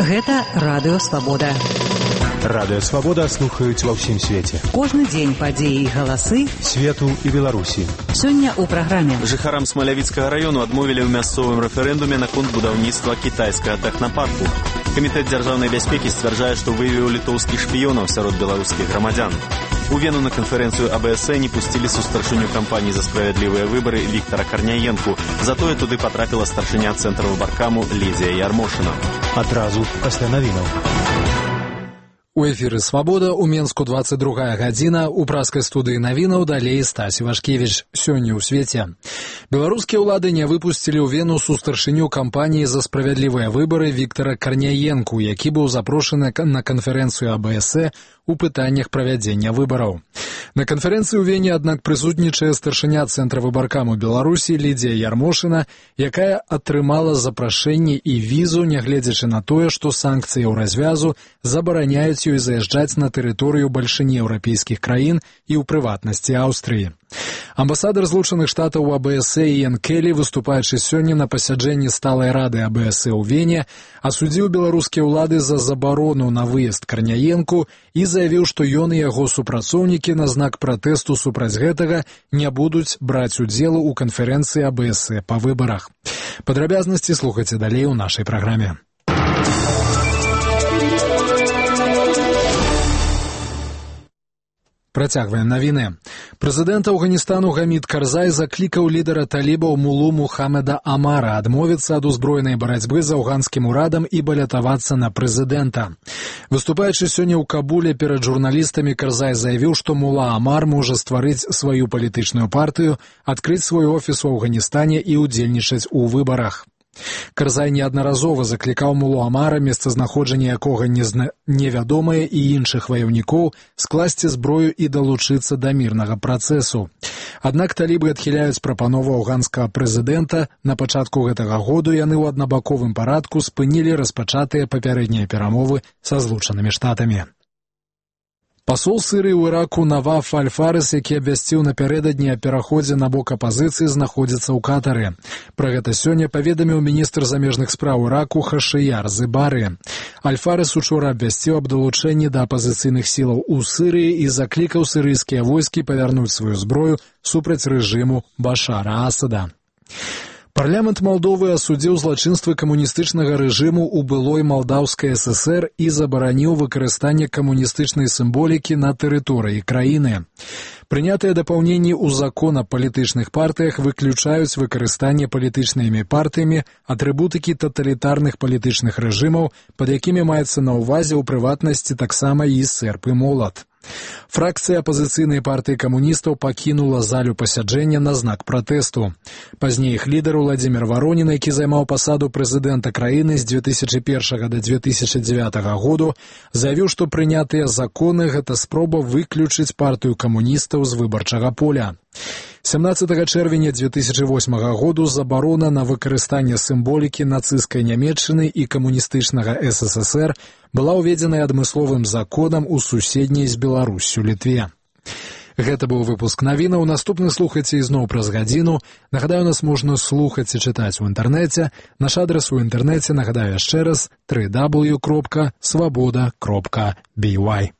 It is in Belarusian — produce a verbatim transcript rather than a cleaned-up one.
Гэта Радыё Свабода. Радыё Свабода слухаюць ва ўсім свеце. Кожны дзень падзеі і галасы свету і Беларусі. Сёння ў праграме. Жыхарам Смалявіцкага раёну адмовілі ў мясцовым рэферэндуме наконт будаўніцтва кітайскага тэхнапарку. Камітэт дзяржаўнай бяспекі сцвярджае, што выявіў літоўскіх шпіёнаў сярод беларускіх грамадзян. У Вену на канферэнцыю А Бэ Эс Э не пусцілі сустарчыню кампаніі за справядлівыя выбары Віктара Карняенку. Затое туды патрапіла старшыня цэнтра выбаркаму Лідзія Ярмошына. Адразу пасля навінаў. У эфіры «Свабода» у Менску двадцать другая гадзіна, у праскай студыі навінаў далей Стась Івашкевіч. Сёння ў свеце. Беларускія ўлады не выпусцілі ў Вену сустарчыню кампаніі за справядлівыя выбары Віктара Карняенку, які быў запрошаны на канферэнцыю А Бэ Эс Э у пытаннях правядзення выбараў. На канферэнцыі ў Вене, аднак, прысутнічае старшыня цэнтра выбаркаму Беларусі Лідзія Ярмошына, якая атрымала запрашэнне і візу, нягледзячы на тое, што санкцыяў развязу забараняюць ёй заязджаць на тэрыторыю бальшыні еўрапейскіх краін і ў прыватнасці Аўстрыі. Амбасадар Злучаных Штатаў у А Бэ Эс Э Іэн Келлі, выступаючы сёння на пасяджэнні сталай рады А Бэ Эс Э ў Вене, асудзіў беларускія ўлады за забарону на выезд Карняенку і заявіў, што ён і яго супрацоўнікі на знак пратэсту супраць гэтага не будуць браць удзелу ў канферэнцыі А Бэ Эс Э па выбарах. Падрабязнасці слухайце далей у нашай праграме. Працягваем навіны. Прэзідэнт Афганістану Гамід Карзай заклікаў лідара талібаў Мулу Мухаммеда Амара адмовіцца ад узброенай барацьбы з афганскім урадам і балятавацца на прэзідэнта. Выступаючы сёння ў Кабуле перад журналістамі, Карзай заявіў, што Мула Амар можа стварыць сваю палітычную партыю, адкрыць свой офіс у Афганістане і ўдзельнічаць у выбарах. Карзай неаднаразова заклікаў Мулу Амара, месцазнаходжанне якога незна... невядомае, і іншых ваяўнікоў скласці зброю і далучыцца да мірнага працэсу. Аднак талібы адхіляюць прапанову афганскага прэзідэнта. На пачатку гэтага году яны ў аднабаковым парадку спынілі распачатыя папярэднія перамовы са Злучанымі Штатамі. Пасол Сірыі ў Іраку Наваф Аль-Фарыс, які абвясціў напярэдадні о пераходзе на бок апазіцыі, знаходзіцца ў Катары. Пра гэта сёння паведаміў міністр замежных спраў Іраку Хашыяр Зыбары. Аль-Фарыс учора абвясціў аб далучэнні да апазіцыйных сілаў у Сірыі і заклікаў сірыйскія войскі павярнуць сваю зброю супраць рэжыму Башара Асада. Парламент Малдовы асудзіў злачынствы камуністычнага рэжыму ў былой Малдаўскай Эс Эс Эр і забараніў выкарыстанне камуністычнай сімволікі на тэрыторыі краіны. Прынятыя дапаўненні ў закон аб палітычных партыях выключаюць выкарыстанне палітычнымі партыямі атрыбутыкі таталітарных палітычных рэжымаў, пад якімі маецца на ўвазе ў прыватнасці таксама і серп і молат. Фракцыя апазіцыйнай партыі камуністаў пакінула залю пасяджэння на знак пратэсту. Пазней іх лідар Уладзімір Варонін, які займаў пасаду прэзідэнта краіны з дзве тысячы першага да дзве тысячы дзевятага году, заявіў, што прынятыя законы – гэта спроба выключыць партыю камуністаў з выбарчага поля. сямнаццатага чэрвеня дзве тысячы восьмага году забарона на выкарыстанне сімволікі нацысцкай Нямецчыны і камуністычнага Эс Эс Эс Эр была ўведзеная адмысловым законам у суседняй з Беларуссю Літве. Гэта быў выпуск навінаў. Наступны слухайце ізноў праз гадзіну. Нагадаю, нас можна слухаць і чытаць у інтэрнэце. Наш адрас у інтэрнэце, нагадаю яшчэ раз, дабл ю дабл ю дабл ю кропка свабода кропка бі вай.